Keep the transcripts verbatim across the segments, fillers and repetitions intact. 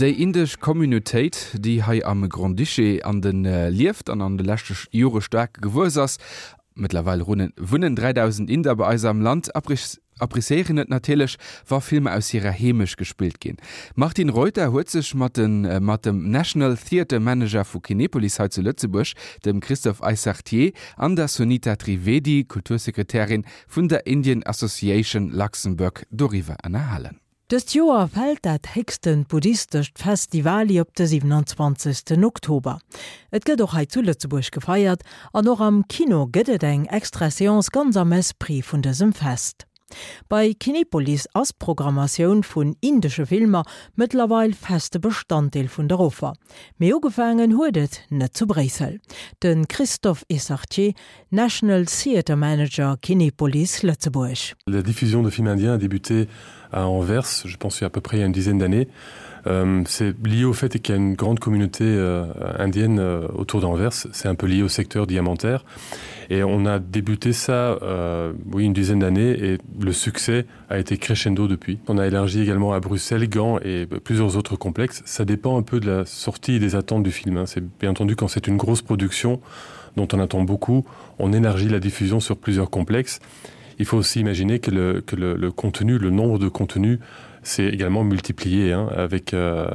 Déi indesch Communautéit, déi hei am Grand-Duché an de lieft an an de leschte Jore staark gewuess ass, mëttlerweil wunnen dräidausend Inder bei eis am Land, appreciéieren et natierlech, wa Filmer aus hirer Heemecht gespillt ginn. D'Martine Reuter huet sech mat mat dem National Theatre Manager vu Kinepolis hei zu Lëtzebuerg, dem Christophe Eyssartier, an der Sunita Trivedi, Kultursekretärin vun der Indian Association Luxembourg, doriwwer ënnerhalen. Dëst Joer fält dat héchstent buddhistescht Fest Diwali op de siewenundzwanzegsten Oktober. Et gëtt och hei zu Lëtzebuerg gefeiert an och am Kino gëtt et eng extra Seance ganz am Esprit vun dësem Fest. Bei Kinepolis ass d'Programmatioun vun indesche Filmer mëttlerweil feste Bestanddeel vun der Offer. Mee ugefaangen huet et net zu Bréissel. De Christophe Eyssartier, National Theatre Manager Kinepolis Lëtzebuerg. La diffusion de films indiens a débuté à Anvers, je pense il y a à peu près une dizaine d'années. Euh, c'est lié au fait qu'il y a une grande communauté euh, indienne euh, autour d'Anvers, c'est un peu lié au secteur diamantaire. Et on a débuté ça euh, oui, une dizaine d'années et le succès a été crescendo depuis. On a élargi également à Bruxelles, Gand et plusieurs autres complexes. Ça dépend un peu de la sortie et des attentes du film. C'est bien entendu quand c'est une grosse production dont on attend beaucoup, on élargit la diffusion sur plusieurs complexes. Il faut aussi imaginer que le, que le, le contenu, le nombre de contenus s'est également multiplié hein, avec, euh,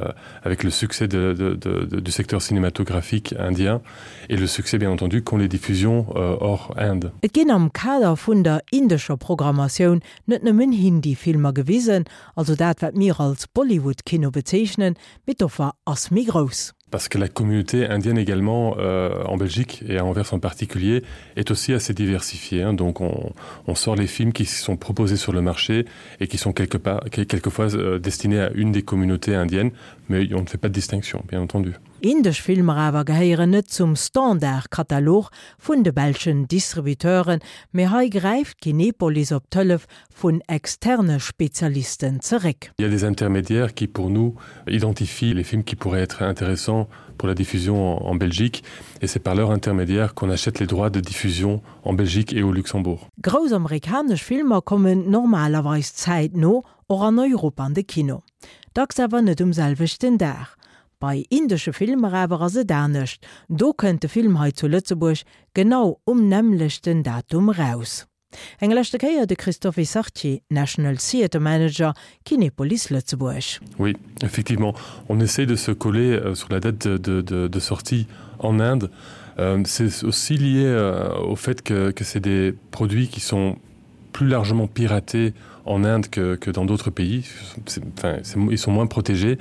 avec le succès de, de, de, de, du secteur cinématographique indien et le succès bien entendu qu'ont les diffusions euh, hors Inde. Et ginn am Kader vun der indescher Programmatioun net nëmmen Hindi-Filmer gewisen, also dat wat mir als Bollywood-Kino bezeechnen, mee d'Offer ass méi grouss. Parce que la communauté indienne également euh, en Belgique et à Anvers en particulier est aussi assez diversifiée hein. Donc on, on sort les films qui sont proposés sur le marché et qui sont quelque part quelquefois euh, destinés à une des communautés indiennes, mais on ne fait pas de distinction bien entendu. Indesch Filmer awer gehéieren net zum Standardkatalog vun de belschen Distributeuren, mee hei gräift Kinepolis op d'Hëllef vun externe Spezialisten zeréck. Il y a des intermédiaires qui pour nous identifient les films qui pourraient être intéressants pour la diffusion en, en Belgique et c'est par leur intermédiaire qu'on achète les droits de diffusion en Belgique et au Luxembourg. Grouss amerikanesch Filmer kommen normalerweis zäitno och an Europa an de Kino. Dacks awer net um selwechten Dag. Bei indesche Filmer awer ass et anescht. Do kënnt de Film hei zu Lëtzebuerg genau um nämmlechten Datum raus. Eng leschte Kéier de Christophe Sartier, National Theatre Manager, Kinepolis Lëtzebuerg. Oui, effectivement, on essaie de se coller euh, sur la date de, de, de, de sortie en Inde. Euh, c'est aussi lié euh, au fait que, que c'est des produits qui sont plus largement piratés en Inde que, que dans d'autres pays. Enfin, ils sont moins protégés,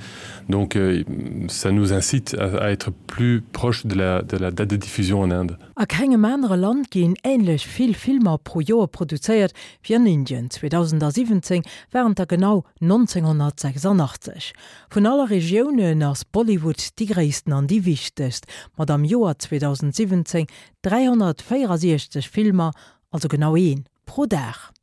donc euh, ça nous incite à, à être plus proche de la, de la date de diffusion en Inde. A kengem anere Land ginn änlech vill Filmer pro Joer produzéiert wéi an Indien. zweedausendsiwwenzéng waren et der genau nonzénghonnertsechsundachtzeg. Vun alle Regiounen ass Bollywood déi gréissten an déi wichtegst, mat am Joer zweedausendsiwwenzéng dräihonnertvéierundsechzeg Filmer, also genau een pro Dag.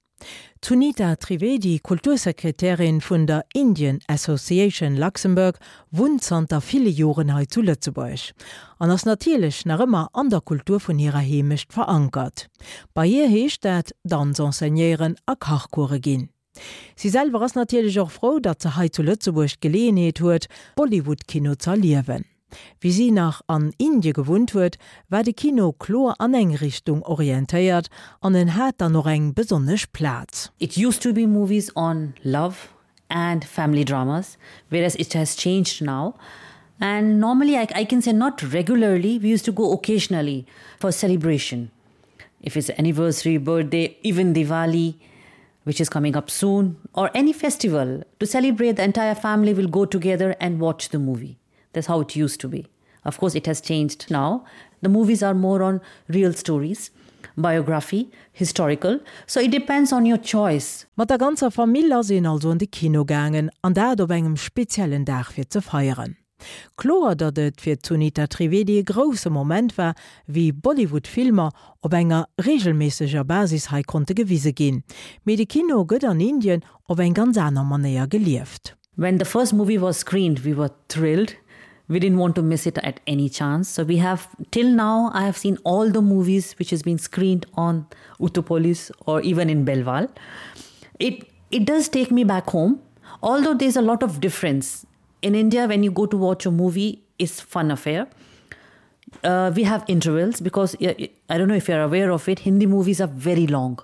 D'Sunita Trivedi, Kultursekretärin vun der Indian Association Luxembourg, wunnt zanter ville Joren hei zu Lëtzebuerg an ass natierlech nach ëmmer an der Kultur vun hirer Heemecht verankert. Bei hir heescht dat, Danz enseignéieren a Kachcourse ginn. Si selwer ass natierlech och frou, datt se hei zu Lëtzebuerg d'Geleeënheet huet, Bollywood-Kino z'erliewen. Wéi si nach an Indie gewunnt huet, war de Kino kloer an eng Richtung orientéiert an en hat dann och eng besonnesch Plaz. It used to be movies on love and family dramas, whereas it has changed now. And normally, I, I can say not regularly, we used to go occasionally for celebration. If it's anniversary, birthday, even Diwali, which is coming up soon, or any festival, to celebrate, the entire family will go together and watch the movie. That's how it used to be. Of course, it has changed now. The movies are more on real stories, biography, historical. So it depends on your choice. Mat der ganzer Famill ass een also an de Kino gaangen, an dat op engem speziellen Dag fir ze feieren. Kloer, datt et fir d'Sunita Trivedi e grousse Moment war, wéi Bollywood-Filmer op enger reegelméisseger Basis hei konnte gewise ginn. Mee de Kino gëtt an Indien op eng ganz aner Manéier gelieft. When the first movie was screened, we were thrilled. We didn't want to miss it at any chance. So we have, till now, I have seen all the movies which has been screened on Utopolis or even in Belval. It, it does take me back home, although there's a lot of difference. In India, when you go to watch a movie, it's fun affair. Uh, we have intervals because uh, I don't know if you're aware of it, Hindi movies are very long,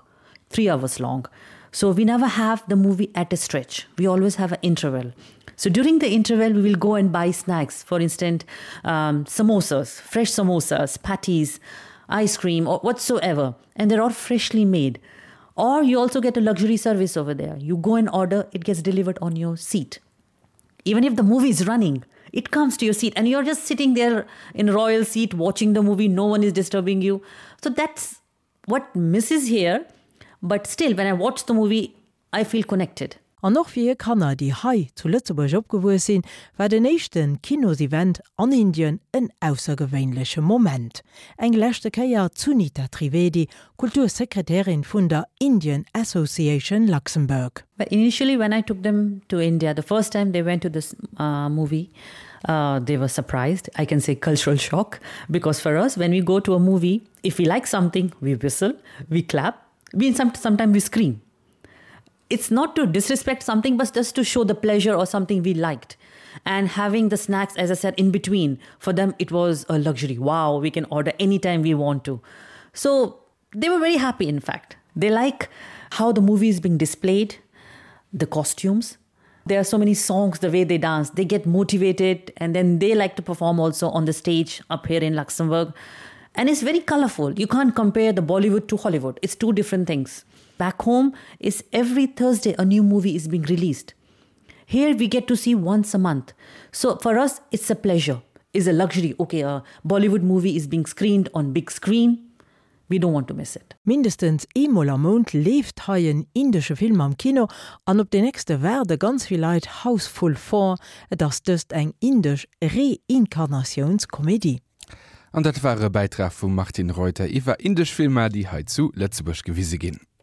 three hours long. So we never have the movie at a stretch. We always have an interval. So during the interval, we will go and buy snacks. For instance, um, samosas, fresh samosas, patties, ice cream or whatsoever. And they're all freshly made. Or you also get a luxury service over there. You go and order, it gets delivered on your seat. Even if the movie is running, it comes to your seat and you're just sitting there in royal seat watching the movie. No one is disturbing you. So that's what misses here. But still, when I watch the movie, I feel connected. An och fir hir Kanner, déi hei zu Lëtzebuerg opgewuess sinn, war den éischte Kinosevent an Indien en aussergewéinleche Moment. Eng leschte Kéier Sunita Trivedi, Kultursekretärin vun der Indian Association Luxembourg. But initially when I took them to India, the first time they went to this uh, movie, uh, they were surprised. I can say cultural shock because for us, when we go to a movie, if we like something, we whistle, we clap, we some, sometimes we scream. It's not to disrespect something, but just to show the pleasure or something we liked. And having the snacks, as I said, in between, for them it was a luxury. Wow, we can order anytime we want to. So they were very happy, in fact. They like how the movie is being displayed, the costumes. There are so many songs, the way they dance. They get motivated and then they like to perform also on the stage up here in Luxembourg. And it's very colorful. You can't compare the Bollywood to Hollywood. It's two different things. Back home is every Thursday a new movie is being released. Here we get to see once a month. So for us, it's a pleasure, it's a luxury. Okay, a Bollywood movie is being screened on big screen. We don't want to miss it. Mindestens eemol am Mount leeft hei en indesche Film am Kino an op den nächste waarde ganz vill Leit Housefull vier, et ass dëst eng indesch Reinkarnatiounskomedie. An dat war e Bäitrag vum Martin Reuter iwwer indesch Filmer, déi hei zu Lëtzebuerg gewise ginn.